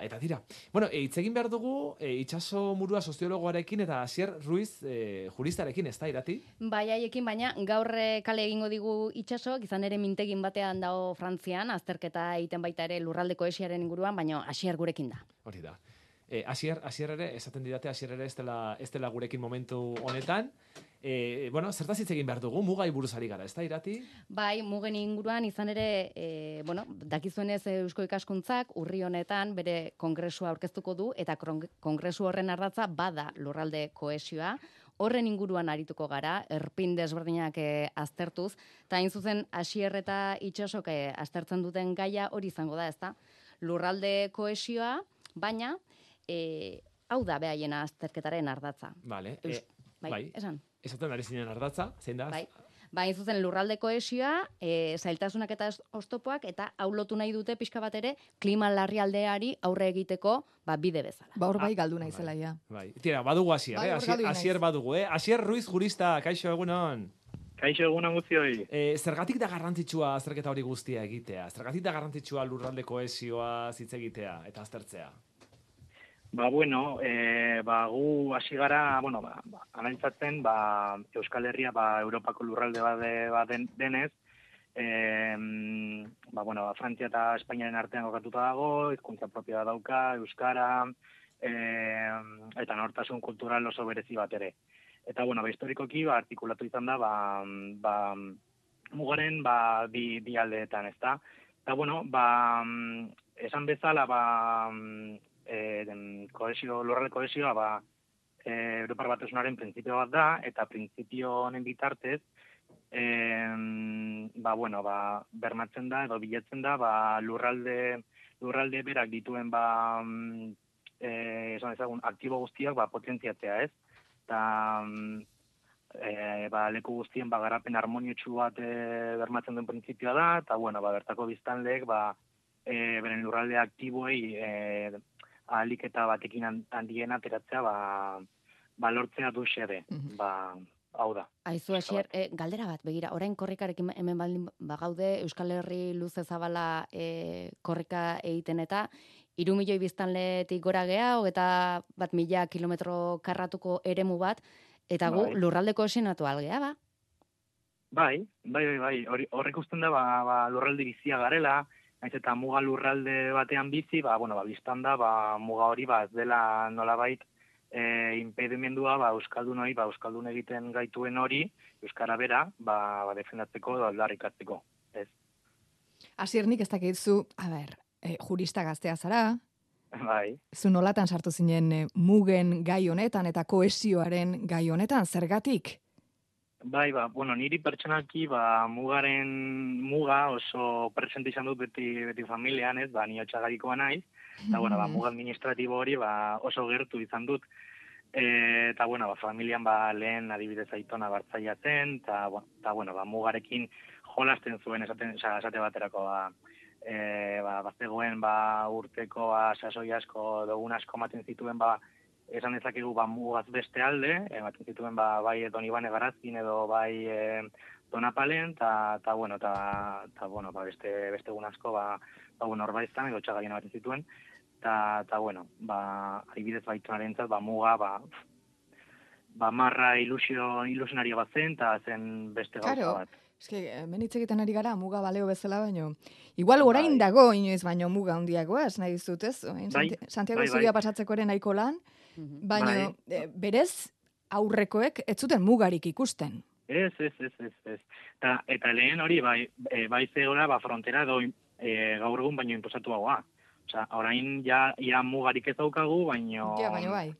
Eta tira, bueno, hitz egin behar dugu itxaso murua soziologoarekin eta Asier Ruiz juristarekin, ez da, Irati? Bai, haiekin, baina gaur kale egingo digu itxaso, izan ere mintegin batean dago Frantzian, azterketa egiten baita ere lurralde kohesiaren inguruan, baina Asier gurekin da. Hori da. Asier ere, esaten didate, Asier ere ez dela gurekin momentu honetan. Bueno, zertaz hitz egin behar dugu, mugai buruz ari gara, ez da, Irati? Bai, mugen inguruan izan ere, dakizuenez Eusko Ikaskuntzak urri honetan bere kongresua aurkeztuko du, eta kongresu horren ardatza bada lurralde kohesioa. Horren inguruan arituko gara, erpin desberdinak aztertuz, eta hain zuzen Asier eta Itxasok aztertzen duten gaia hori izango da, ezta? Lurralde kohesioa, baina hau da behaien azterketaren ardatza. Vale. Bai, esan. Esaten ari zinen ardatza, zein da? Bai, zuzen lurralde kohesioa, zailtasunak eta oztopoak, eta hau lotu nahi dute pixka bat ere klima larrialdeari aurre egiteko bide bezala. Hor bai galdu naizela ja. Bai. Tira, badugu Asier, Asier badugu, Asier Ruiz jurista, kaixo egunon. Kaixo egunon guztioi. Zergatik da garrantzitsua azterketa hori guztia egitea? Zergatik da garrantzitsua lurralde kohesioa hitz egitea eta aztertzea? Bueno, gu hasi gara, analitzatzen, Euskal Herria, Europako lurralde bat denez, Frantzia eta Espainiaren artean kokatuta dago, hizkuntza propioa dauka, euskara, eta nortasun kultural oso berezi bat ere. Eta, historikoki, artikulatu izan da, mugaren, bi aldeetan, ez da? Eta, esan bezala, lurralde kohesioa Europar Batasunaren printzipio bat da, eta printzipio honen bitartez bermatzen da edo bilatzen da lurralde berak dituen esan ezagun aktibo guztiak potentziatzea, ez? Eta leku guztien garapen harmoniotsu bat bermatzen duen printzipioa da, eta bertako biztanleek beren lurralde aktiboei ahalik eta batekin handien ateratzea lortzea du xede. Hau da. Aizu, Asier, galdera bat, begira, orain korrikarekin hemen baldin bagaude, Euskal Herri luze zabala korrika egiten eta 3 milioi biztanletik gora gea, 21.000 kilometro karratuko eremu bat, eta gu lurralde kohesionatu algea, ba? Bai. Horrek usten da, lurralde bizia garela, naiz eta muga lurralde batean bizi, biztan da, muga hori ez dela nolabait impedimendua euskaldun egiten gaituen hori, euskara bera, defendatzeko edo aldarrikatzeko, ez? Asier, nik ez dakitzu, jurista gaztea zara, Bai. Zu nolatan sartu zinen mugen gai honetan eta kohesioaren gai honetan, zergatik? Bai, niri pertsonalki muga oso presente izan dut beti familian, ez, ni Otxagadikoa naiz, eta muga administratibo hori oso gertu izan dut, eta familian lehen adibidez Aitona Bartzaiatzen, eta mugarekin jolasten zuen esate baterako bazegoen urteko sasoi asko, dogun asko maten zituen esan dezakegu mugaz beste alde, ematen zituen bai Don Ibane Garazkin edo bai Donapalen, eta beste egun asko Orbaiztan edo Txagaian ematen zituen, eta adibidez Baitonarentzat muga marra ilusionario bat zen, eta zen beste gauza bat. Hemen hitz egiten ari gara muga baleo bezala baino. Igual orain dago inoiz baino muga handiagoaz, nahi dizut, ez? Santiago Zuria pasatzeko ere nahiko lan, baino berez aurrekoek ez zuten mugarik ikusten. Ez. Eta lehen hori bai zegoela frontera edo gaur egun baino inposatuagoa. Orain ja mugarik ez daukagu, baino bai.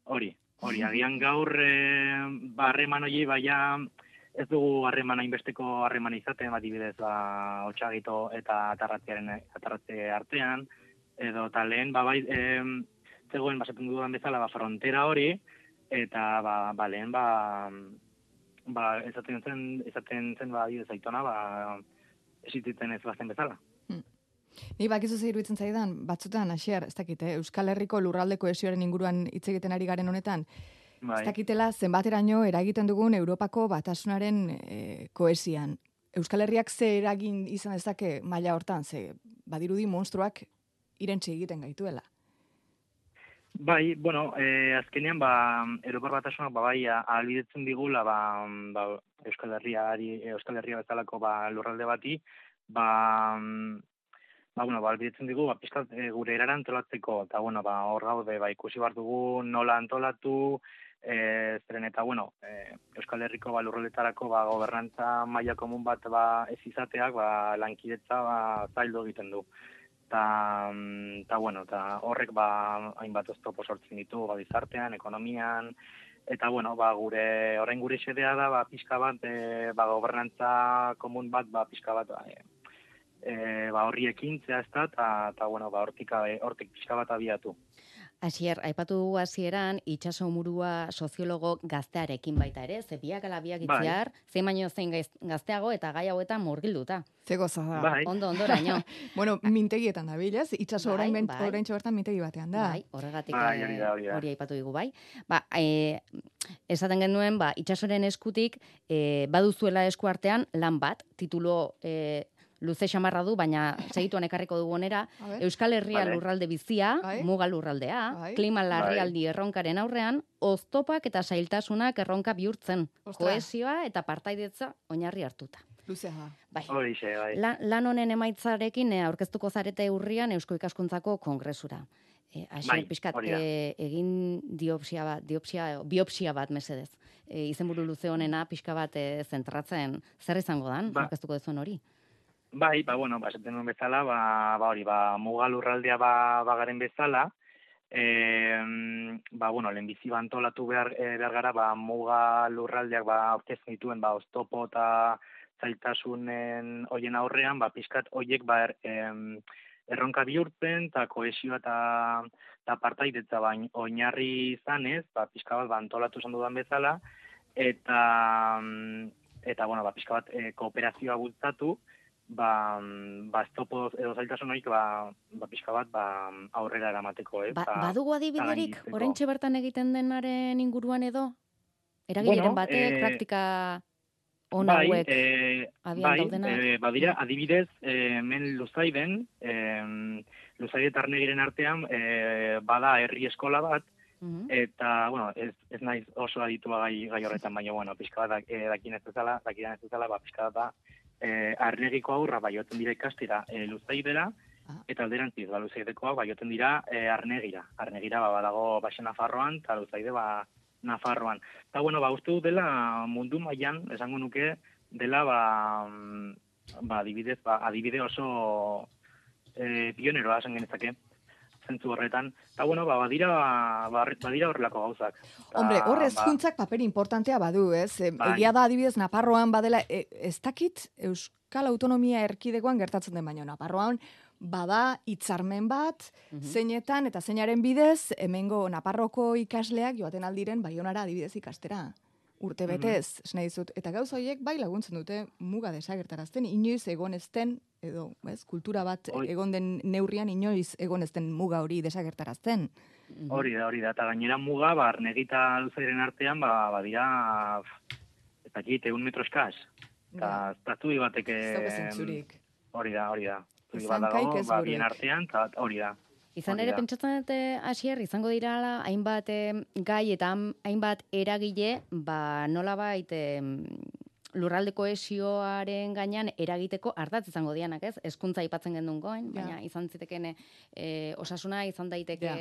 Hori, agian gaur harreman hori ez dugu harremana inbesteko harremana izaten, adibidez Otxagito eta atarratze artean, edo lehen zegoen basaten dudan bezala frontera hori, eta lehen esaten zen adibidez Aitona existitzen ez bazen bezala. Ni bakizu zer iruditzen zaidan, batzutan, Asier, ez dakit, Euskal Herriko lurralde kohesioaren inguruan hitz egiten ari garen honetan, ez dakitela zenbateraino eragiten dugun Europako Batasunaren kohesian. Euskal Herriak ze eragin izan dezake maila hortan, ze badirudi monstruak irentsi egiten gaituela. Bai, bueno, azkenean, Europar Batasunak, bai, ahalbidetzen digula, Euskal Herria bezalako, lurralde bati, ahalbidetzen digu, pizkat gure erara antolatzeko, eta, hor gaude, ikusi behar dugu nola antolatu, zeren eta, Euskal Herriko lurraldetarako, gobernantza maila komun bat ez izateak, lankidetza zaildu egiten du. Eta horrek hainbat oztopo sortzen ditu gizartean, ekonomian, eta gure xedea da pixka bat gobernantza komun bat pixka bat horri ekintzea ez da, eta hortik pixka bat abiatu. Asier, aipatu dugu hasieran itsaso murua soziologo gaztearekin baita ere, ze biak ala biak itziar, zein baino zein gazteago eta gai hauetan murgilduta. Ze goza da. Ondoraino. Bueno, mintegietan da bilez, itsaso oraintxo bertan mintegi batean da. Bai, horregatik hori aipatu digu bai. Esaten genuen, itsasoren eskutik baduzuela esku artean lan bat, titulo luze xamarra du, baina segituan ekarriko dugu onera, Euskal Herria lurralde bizia, muga lurraldea, klima larrialdi erronkaren aurrean, oztopak eta zailtasunak erronka bihurtzen, kohesioa eta partaidetza oinarri hartuta. Luzea. Bai. Lan honen emaitzarekin aurkeztuko zarete urrian Eusko Ikaskuntzako kongresura. Asier, pixkat, egin biopsia bat mesedez. Izenburu luze honena pixka bat zentratzen, zer izango dan, aurkeztuko dezuen hori? Bai, esaten nuen bezala, muga lurraldea garen bezala, lehenbizi antolatu behar gara, muga lurraldeak aurkezten dituen oztopo eta zailtasunen hoien aurrean, pixkat hoiek erronka bihurtzen, eta kohesioa eta partaidetza oinarri izanez, pixka bat antolatu izan dudan bezala, eta pixka bat kooperazioa bultzatu, estopo edo zailtasun horiek pixka bat aurrera eramateko. Badugu adibiderik, oraintxe bertan egiten denaren inguruan edo? Eragileen batek, praktika ona hauek abian daudena? Badira, adibidez, hemen Luzaiden, Luzaide eta Arnegiren artean, bada herri eskola bat, eta, ez naiz oso aditua gai horretan, baina, pixka bat dakien ez bezala, pixka bat Arnegiko aurra joaten dira ikastera Luzaidera, eta alderantziz, Luzaidekoak joaten dira Arnegira. Arnegira badago Baxe Nafarroan, eta Luzaide Nafarroan. Eta, uste dut dela mundu mailan, esango nuke, dela adibide oso pioneroa esan genezake, zentzu horretan. Eta, badira horrelako gauzak. Hombre, hor hezkuntzak paper importantea badu, ez? Egia da adibidez Nafarroan badela, ez dakit Euskal Autonomia Erkidegoan gertatzen den baino. Nafarroan bada hitzarmen bat, zeinetan eta zeinaren bidez, hemengo Nafarroko ikasleak joaten aldiren Baionara adibidez ikastera. Urte betez, nahi dizut. Eta gauza horiek laguntzen dute muga desagertarazten, inoiz egon ezten, edo, kultura bat egon den neurrian inoiz egon ezten muga hori desagertarazten. Hori da, eta gainera muga, Arnegita Luzairen artean, badira, ez dakit, 1 metro eskaz. Eta estatubi batek... zentzurik. Hori da. Zuri bat dago, bien artean, eta hori da. Izan ere, pentsatzen dute, Asier, izango dira hainbat gai eta hainbat eragile, nolabait lurralde kohesioaren gainean eragiteko ardatz izango dianak, ez? Hezkuntza aipatzen gendun goin, baina izan ziteken osasuna, izan daiteke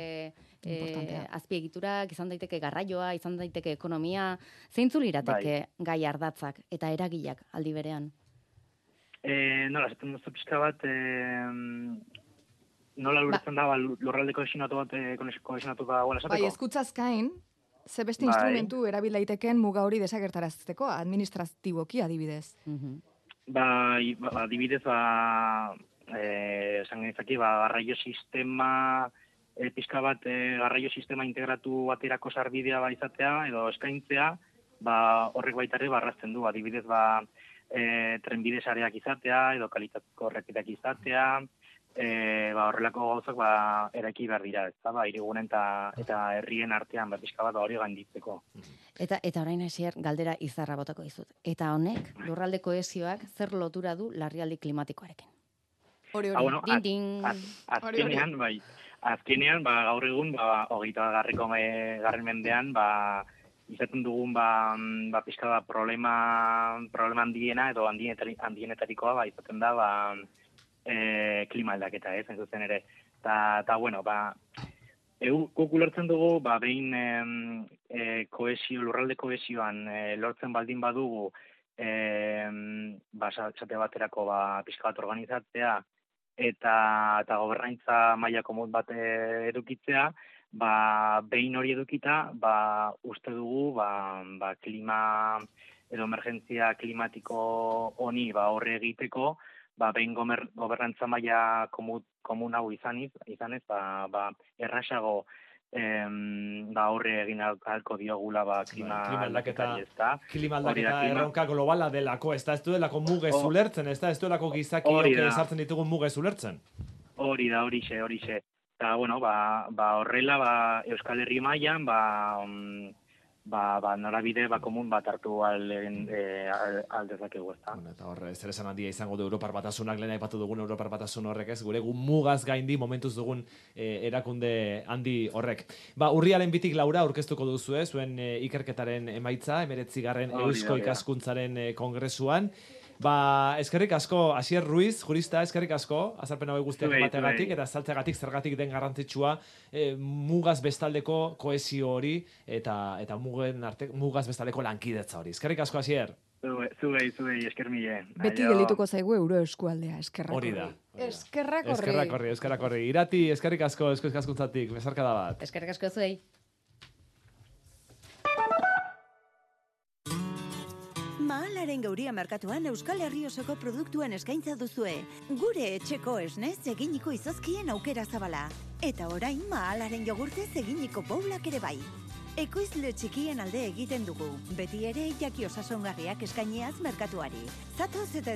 azpiegiturak, izan daiteke garraioa, izan daiteke ekonomia, zeintzu lirateke gai ardatzak eta eragileak aldi berean? Nola, zaten duzu pixka bat... Nola lurtzen da, lurralde kohesionatu bat, kohesionatu da gola esateko? Bai, eskutzazkain, ze beste instrumentu erabil daiteken muga hori desagertarazteko, administratiboki adibidez. Adibidez, esan genizaki, garraio sistema, pixka bat, garraio sistema integratu baterako sarbidea izatea, edo eskaintzea, horrek baitare barrazten du, adibidez, trenbide sareak izatea, edo kalitateko errepideak izatea, horrelako gauzak eraiki behar dira, hirigunen eta herrien artean pixka bat hori gainditzeko. Eta orain Asier, galdera izarra botako dizut. Eta honek, lurralde kohesioak zer lotura du larrialdi klimatikoarekin? Bueno, azkenean, bai, gaur egun, 20. mendean, izaten dugun, pixka da problema handiena, edo handienetarikoa, izaten da, klima aldaketa, ez, zuzen ere. Eta, bueno, guk ulertzen dugu, behin lurralde kohesioan lortzen baldin badugu, esate baterako pixka bat organizatzea, eta gobernaintza maila komun bat edukitzea, behin hori edukita, uste dugu, klima edo emergentzia klimatiko honi horre egiteko, behin gobernantza maila komun hau izanez, errasago horre egin alko diogula klima aldaketari, ez da. Klima aldaketa erronka globala delako, ez da, ez duelako mugez ulertzen, ez da, ez duelako gizakiok esartzen ditugun mugez ulertzen. Hori da, horixe. Eta, bueno, horrela, Euskal Herri mailan, norabide komun bat hartu aldezakegu, ez da. Eta horre, zer esan handia izango du Europar Batasunak, lehen aipatu dugun Europar Batasun horrek ez, gure mugaz gaindi momentuz dugun erakunde handi horrek. Urriaren 2 Laura aurkeztuko duzu, zuen ikerketaren emaitza, 19. Eusko Ikaskuntzaren kongresuan. Eskerrik asko, Asier Ruiz, jurista, eskerrik asko, azalpen hau guztiak emateagatik, eta azaltzeagatik zergatik den garrantzitsua mugaz bestaldeko kohesio hori, eta mugaz bestaldeko lankidetza hori. Eskerrik asko, Asier. Zuei, esker mile. Beti gelituko zaigu euro eskualdea, eskerrak horri. Hori da. Eskerrak horri. Irati, eskerrik asko, Eusko Ikaskuntzatik, bezarkada bat. Eskerrik asko zuei. Mahalaren Gauria merkatuan Euskal Herri osoko produktuen eskaintza duzue. Gure etxeko esnez eginiko izozkien aukera zabala. Eta orain Mahalaren jogurtez eginiko boulak ere bai. Ekoizle txikien alde egiten dugu. Beti ere jaki osasongarriak eskainiaz merkatuari. Zatoz eta